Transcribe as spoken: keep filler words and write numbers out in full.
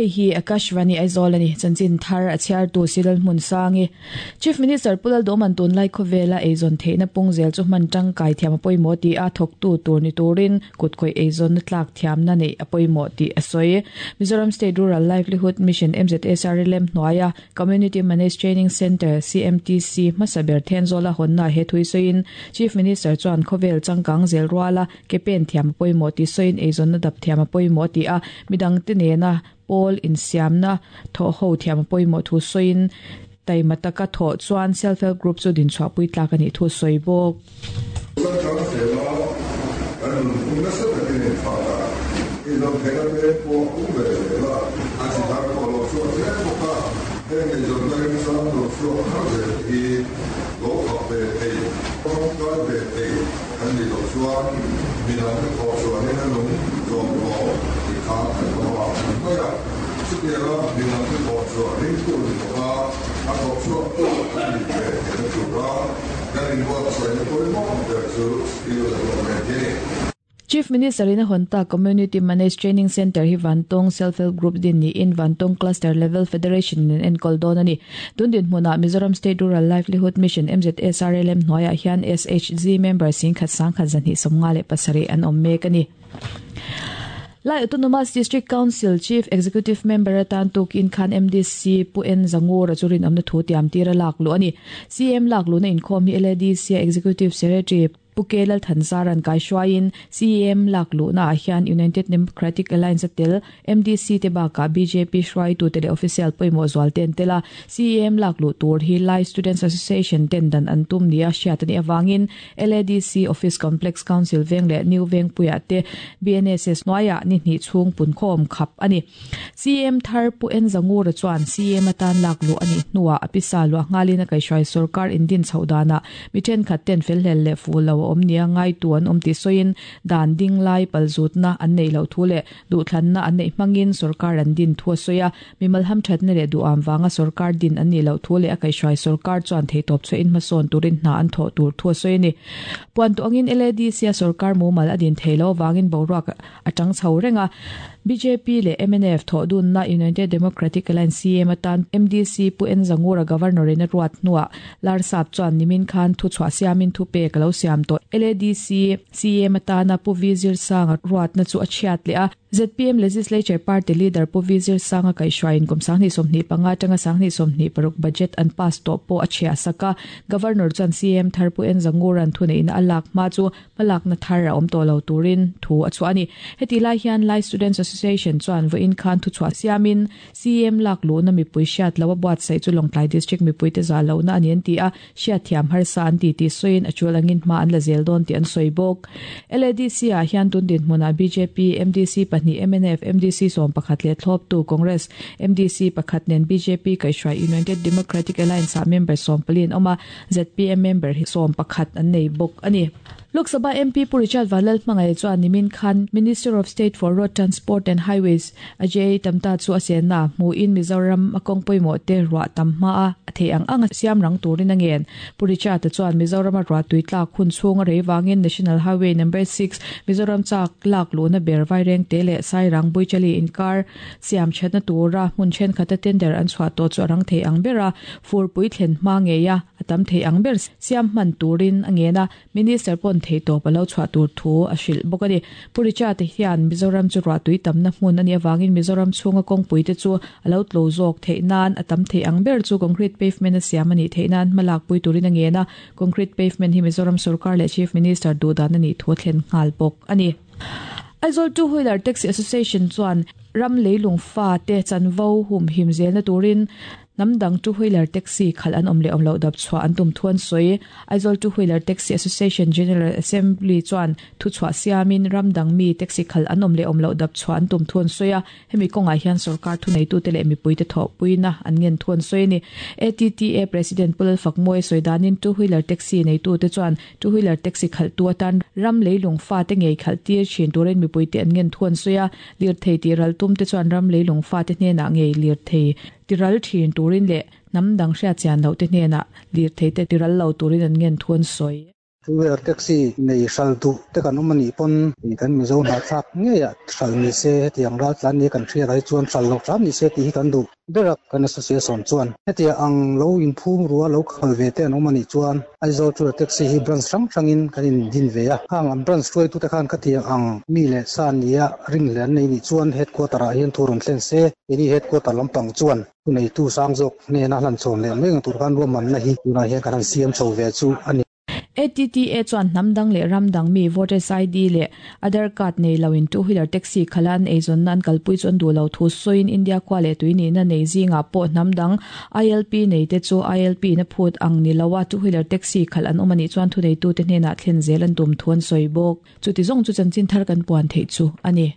Hei hi Akashvani Aizawl ani chanchin thar a chhiar tu Silal hmun sangi Chief Minister Pulal Doman tun lai khawvela eizawn theihna pung zel chu hman tangkai thiam a pawimawh ti a thawk tu tur ni turin kutkhawih eizawn na tlak thiamna nei a pawimawh tih a sawi. Mizoram State Rural Livelihood Mission M Z S R L M hnuaia Community Managed Training Centre C M T C hmasa ber Thenzawl a hawnna he thui sawiin Chief Minister chuan khawvel changkang zel ruala ke pen thiam a pawimawh tih sawiin eizawn na dap thiam a pawimawh ti a midang te nena pawl insiamna thaw ho thiam a pawimawh thu sawiin taimataka thaw chuan self help group chu din chhuah pui tlak ani thu sawi bawk. Chief Minister in a Honta Community Managed Training Center hi Vantawng Self Help Group din ni in Vantawng Cluster Level Federation in enkol dawn ani. Tun din hmuna Mizoram State Rural Livelihood Mission M Z S R L M hnuaiah hian S H G member sing khat sang khat zan hi sawmnga leh pasarih an awm mek ani. Lai Autonomous District Council Chief Executive Member atan tuk in khan M D C Pu N Zangur achurin amna thu tiam tira lak lu ani. C M lak lu na inkhawm hi L A D C Executive Secretary Pukelal Thansaran kai shwain C M lak lu na hian United Democratic Alliance tel M D C te ba ka B J P shwai tu tele official poimo zwal ten tela C M lak lu tur hi Lai Students Association ten dan antum nia hriatani awangin L A D C Office Complex Council veng le New Veng puya te B N S S noya ni ni chung pun khom khap ani. C M thar Pu N Zangur chuan C M atan lak lu ani nuwa apisa lu ngalina kai shwai sarkar indin chaudana miten khat ten fel hel le fu lo om nia ngai tuan om ti soin dan ding lai palzut na an nei lo thu le du thlan na an nei mangin sarkar an din thua soya mimal ham that na le du am wanga sarkar din an ni lo thu le akai shwai sarkar chuan thei top chu in ma son turin na an tho tur thua soini puan tu angin L A D C sarkar mumal adin theilo wangin boruak atang chho renga B J P le M N F tho dun na United Democratic Alliance C M atan M D C Pu N Zangura governor in ruat nuwa lar sap chuan nimin khan thu chwa siamin thu pe kalo siam to L A D C C M atana Pu Vizir Sanga ruat na chu a chiat le a Z P M Legislature Party Leader Pu Vizir Sanga kai shwain kum sangni somni panga tanga sangni somni paruk budget an pass to po a chia saka governor chuan C M thar Pu N Zanguran thune in alak ma chu malak na thar a om to lo turin thu a chuani heti lai hian Lai Students Association chuan vo in khan thu chwa siamin C M lak lu na mi pui hriat lo buat sai chu Lawngtlai District mi pui te za lo na ani an ti a hriat thiam har sa an ti ti soin a chulangin ma an la zel don ti an soi bawk. L A D C a hian tun din hmuna B J P M D C pahnih M N F M D C sawm pakhat leh thlawp tu Congress M D C pakhat nen B J P kai hruai United Democratic Alliance a member sawm pali an awm a Z P M member hi sawm pakhat an nei bawk ani. Lok Sabha M P Pu Richard Vanlal Hmangaih chuan nimin khan Minister of State for Road Transport and Highways Ajay Tamta chu a senna hmuin Mizoram a kawng pawimawh te ruah tam hma a a thei ang ang a siam rang turin a ngen. Pu Richard chuan Mizoram a ruah tui tlak hun chhung a rei wangin National Highway number six Mizoram chak lak lu na ber vaireng te leh Sairang Buichali inkar siam thatna tura hmun thenkhat a tender an chhuah tawh chu a rang thei ang bera furpui thlen hma ngeia a tam thei ang ber siam hman turin a ngen a Minister pon thei to palo chhuah tur thu a hrilh bawk ani. Pu Richard hian Mizoram chu ruah tui tamna hmun ani awangin Mizoram chhunga kawngpui te chu a lo tlo zawk theih nan a tam thei ang ber chu concrete pavement a siam ani theih nan hmalak pui turin a ngen a concrete pavement hi Mizoram sarkar leh Chief Minister duhdan ani thu a thlen nghal bawk ani. Aizawl Two Wheeler Taxi Association chuan ram leilung fa te chanvo hum him zel na turin Namdang Two Wheeler Taxi khal an om le om lo dap chwa an tum thuan soi Aizawl Two Wheeler Taxi Association General Assembly chuan thu chwa siamin ramdang mi taxi khal an om le om lo dap chwa an tum thuan soya hemi konga hian sarkar thu nei tu te le mi pui te tho puina an ngen thuan soi ni. A T T A President Pulal Fakmoi soidanin Two Wheeler Taxi nei tu te chuan Two Wheeler Taxi khal tu atan ram leilung fa te ngei khal tir thin turin mi pui te an ngen thuan soya lir thei ti ral tum te chuan ram leilung fa te hne na ngei lir thei tiral thin turin le namdang hria chian lo te hne na lir thei te tiral lo turin an ngen thuan soi. Two wheeler taxi nei hral duh te kan awm anih pawn kan Mizo hnahthlak ngeiah hral ni se hetiang ral tlan ni kan hriat ai chuan hral lo hram ni se tih hi kan duh ber a kan association chuan hetia ang lo inphum rua lo khal ve te an awm anih chuan Aizawl two wheeler taxi hi branch hrang hrangin kan in din ve a khang an branch hruaitu te khan khatiang ang mi leh sa nia ring hle an nei nih chuan headquarter ah hian thu rawn thlen se keini headquarter lampang chuan thu neitu sang zawk hnena hlan chhawn leh mai ang tur khan ruahmanna hi tunah hian kan han siam chho ve chu a ni. A T T A chuan hnamdang leh ramdang mi voters I D leh Aadhaar card nei loin two wheeler taxi khalan eizawn nan kalpui chu an duh lo thu sawiin India khua leh tui nihna nei zingah pawh hnamdang I L P nei te chu I L P na phut ang ni loa two wheeler taxi khal an awm anih chuan thu neitu te hnenah thlen zel an tum thu an sawi bawk. Chuti zawng chu chanchin thar kan puan theih chu ani.